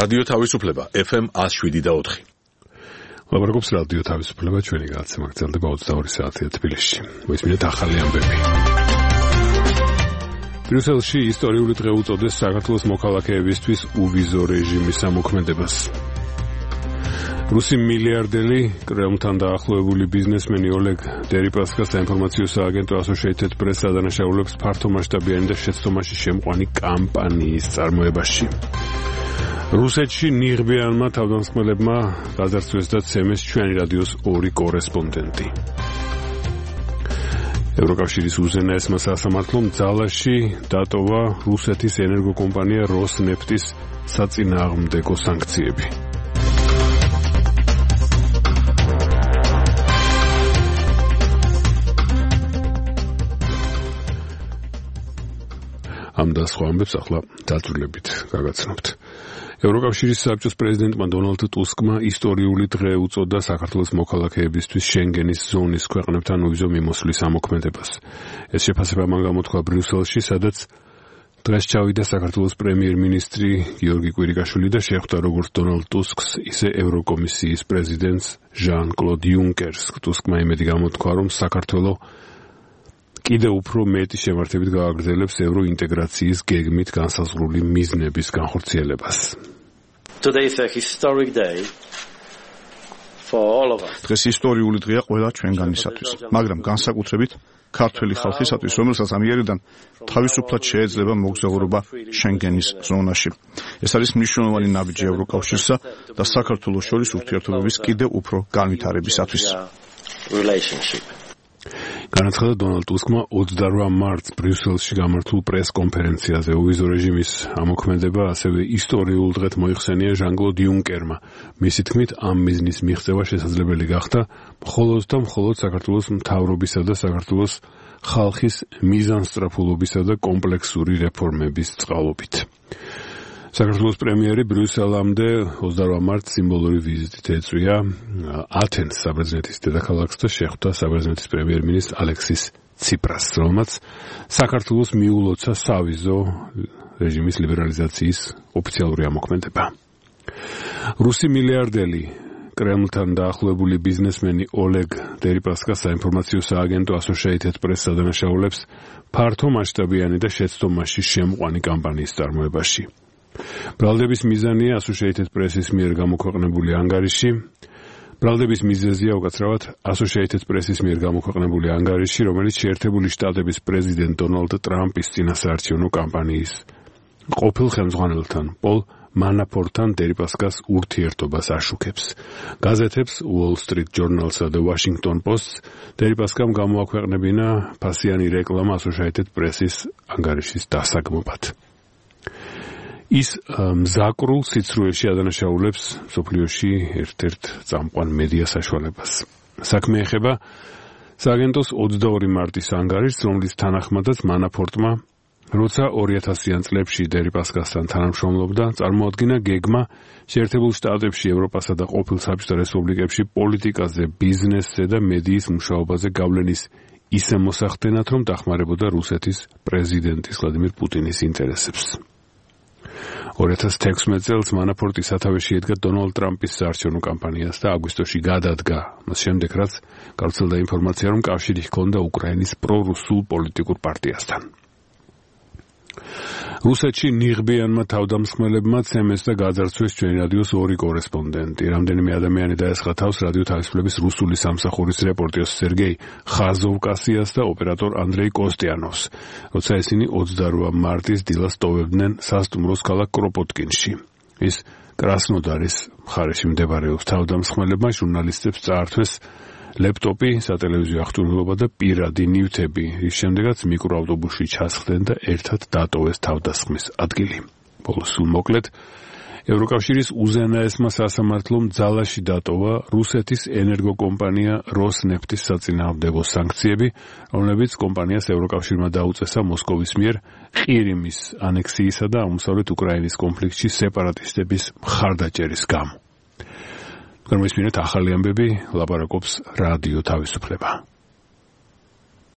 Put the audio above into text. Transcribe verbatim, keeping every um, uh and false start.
რადიო თავისუფლება ეფ ემ one oh seven და four. ლაპარაკობს რადიო თავისუფლება, ჩვენი გადაცემა გრძელდება twenty-two საათია თბილისში. მოისმინეთ ახალი ამბები. ბრიუსელში ისტორიული დღე უწოდეს საქართველოს მოქალაქეებისთვის უვიზო რეჟიმის ამოქმედებას. რუსი მილიარდელი, კრემლთან დაახლოებული ბიზნესმენი ოლეგ დერიპასკა საინფორმაციო სააგენტო Associated Press ადანაშაულებს ფართომასშტაბიანი და შეცდომაში შემყვანი კამპანიის წარმოებაში. რუსეთში ნიღბიანმა თავდამსხმელებმა გაძარცვეს და ცემეს ჩვენი რადიოს ორი კორესპონდენტი. ევროკავშირის უზენაესმა სასამართლომ ძალაში დატოვა რუსეთის ენერგოკომპანია როსნეფტის საწინააღმდეგო სანქციები. ამ და სხვა ამბებს ახლა დაწვრილებით გაგაცნობთ. ევროკავშირის საბჭოს პრეზიდენტმა დონალდ ტუსკმა ისტორიული დღე უწოდა საქართველოს მოქალაქეებისთვის შენგენის ზონის ქვეყნებთან უვიზო მიმოსვლის ამოქმედებას. ეს შეფასება მან გამოთქვა ბრიუსელში, სადაც დღეს ჩავიდა საქართველოს პრემიერ-მინისტრი გიორგი კვირიკაშვილი და შეხვდა როგორც დონალდ ტუსკს, ისე ევროკომისიის პრეზიდენტს ჟან-კლოდ იუნკერს. ტუსკმა იმედი გამოთქვა, რომ საქართველო კიდევ უფრო მეტი შემართებით გააგრძელებს ევროინტეგრაციის გეგმით განსაზღვრული მიზნების განხორციელებას. Today is a historic day for all of us. დღეს ისტორიული დღეა ყველა ჩვენგანისათვის, მაგრამ განსაკუთრებით ქართველი ხალხისათვის, რომელსაც ამიერიდან თავისუფლად შეეძლება მოგზაურობა შენგენის ზონაში. ეს არის მნიშვნელოვანი ნაბიჯი ევროკავშირსა და საქართველოს შორის ურთიერთობების კიდევ უფრო განვითარებისათვის. განაცხადა დონალდ ტუსკმა twenty-eight მარტს ბრიუსელში გამართულ პრეს-კონფერენციაზე. უვიზო რეჟიმის ამოქმედება ასევე ისტორიულ დღედ მოიხსენია ჟან-კლოდ იუნკერმა. მისი თქმით, ამ მიზნის მიღწევა შესაძლებელი გახდა მხოლოდ და მხოლოდ საქართველოს მთავრობისა და საქართველოს ხალხის მიზანსწრაფულობისა და კომპლექსური რეფორმების წყალობით. საქართველოს პრემიერი ბრიუსელამდე twenty-eight მარტს სიმბოლური ვიზიტით ეწვია ათენს საბერძნეთის დედაქალაქს და შეხვდა საბერძნეთის პრემიერ-მინისტრ ალექსის ციპრას, რომელმაც საქართველოს მიულოცა სავიზო რეჟიმის ლიბერალიზაციის ოფიციალური ამოქმედება. რუსი მილიარდელი, კრემლთან დაახლოებული ბიზნესმენი ოლეგ დერიპასკა საინფორმაციო სააგენტო Associated Press ადანაშაულებს ფართომასშტაბიანი და შეცდომაში შემყვანი კამპანიის წარმოებაში. ბრალდების მიზანია Associated Press-ის მიერ გამოქვეყნებული ანგარიში. ბრალდების მიზეზია უკაცრავად Associated Press-ის მიერ გამოქვეყნებული ანგარიში, რომელიც შეერთებული შტატების პრეზიდენტ დონალდ ტრამპის წინასაარჩევნო კამპანიის ყოფილ ხელმძღვანელთან პოლ მანაფორტთან დერიპასკას ურთიერთობას აშუქებს. გაზეთებს Wall Street Journal-სა და Washington Post-ს დერიპასკამ გამოაქვეყნებინა ფასიანი რეკლამა Associated Press-ის ანგარიშის დასაგმობად. ის მზაკრულ სიცრუეში ადანაშაულებს მსოფლიოში ერთ-ერთ წამყვან მედია საშუალებას. საქმე ეხება სააგენტოს twenty-two მარტის ანგარიშს, რომლის თანახმადაც მანაფორტმა, როცა two thousand წლებში დერიპასკასთან თანამშრომლობდა, წარმოადგინა გეგმა შეერთებულ შტატებში, ევროპასა და ყოფილ საბჭოთა რესპუბლიკებში პოლიტიკაზე, ბიზნესზე და მედიის მუშაობაზე გავლენის ისე მოსახდენად, რომ დახმარებოდა რუსეთის პრეზიდენტის ვლადიმირ პუტინის ინტერესებს. two thousand sixteen წელს მანაფორტი სათავეში ედგა დონალდ ტრამპის საარჩევნო კამპანიას და აგვისტოში გადადგა. მას შემდეგ, რაც გავრცელდა ინფორმაცია, რომ კავშირი ჰქონდა უკრაინის პრორუსულ პოლიტიკურ პარტიასთან. რუსეთში ნიღბიანმა თავდამსხმელებმა ცემეს და გაძარცვეს ჩვენი რადიოს ორი კორესპონდენტი. რამდენიმე ადამიანი დაესხა თავს რადიო თავისუფლების რუსული სამსახურის რეპორტიოს სერგეი ხაზოვკასიას და ოპერატორ ანდრეი კოსტიანოვს, როცა ისინი twenty-eight მარტის დილას ტოვებდნენ სასტუმროს ქალაქ კროპოტკინში. ის კრასნოდარის მხარეში მდებარეობს. თავდამსხმელებმა ჟურნალისტებს წაართვეს ლეპტოპი, სატელევიზიო აღჭურვილობა და პირადი ნივთები. ის შემდეგაც მიკროავტობუსში ჩასხდნენ და ერთად დატოვეს თავდასხმის ადგილი. ბოლოს სულ მოკლედ, ევროკავშირის უზენაესმა სასამართლომ ძალაში დატოვა რუსეთის ენერგოკომპანია როსნეფტის საწინააღმდეგო სანქციები, რომლებიც კომპანიას ევროკავშირმა დაუწესა მოსკოვის მიერ ყირიმის ანექსიისა და აღმოსავლეთ უკრაინის კონფლიქტში სეპარატისტების მხარდაჭერის გამო. გამოისმინეთ ახალი ამბები, ლაპარაკობს რადიო თავისუფლება.